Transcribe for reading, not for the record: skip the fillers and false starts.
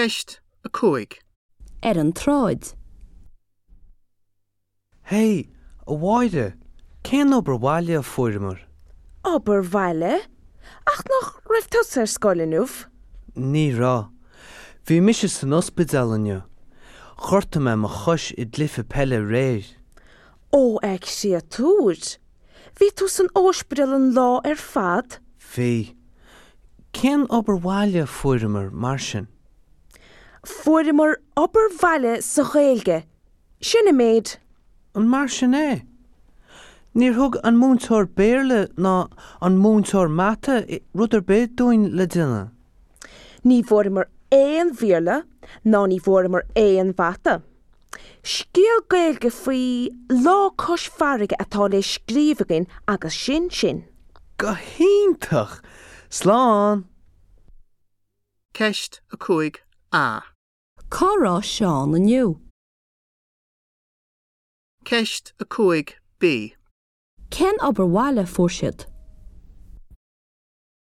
Ceist 5. Ar an tsráid. Hey, a Mháire, cén obair bhaile a fuaireamar? Obair bhaile? Ach nach raibh tusa ar scoil inniu? Ní raibh. Bhí mise san ospidéal inniu. Ghortaigh mé mo chois i gcluiche peile aréir. Ó, a chréatúir! Bhí tú san óispidéal an lá ar fad? Bhí. Cén obair bhaile a fuaireamar, mar sin? Fuaireamar obair bhaile sa Ghaeilge. Sin an méid. An mar sin é? Níor thug an múinteoir Béarla ná an múinteoir Mata rud ar bith dúinn le déanamh. Ní bhfuaireamar aon Bhéarla ná ní bhfuaireamar aon Mhata. Scéal Gaeilge faoi lá cois farraige atá le scríobh againn agus sin sin. Go hiontach! Slán! Ceist 5A. Cá raibh Seán inniu? Ceist 5B. Cén obair bhaile a fuair siad?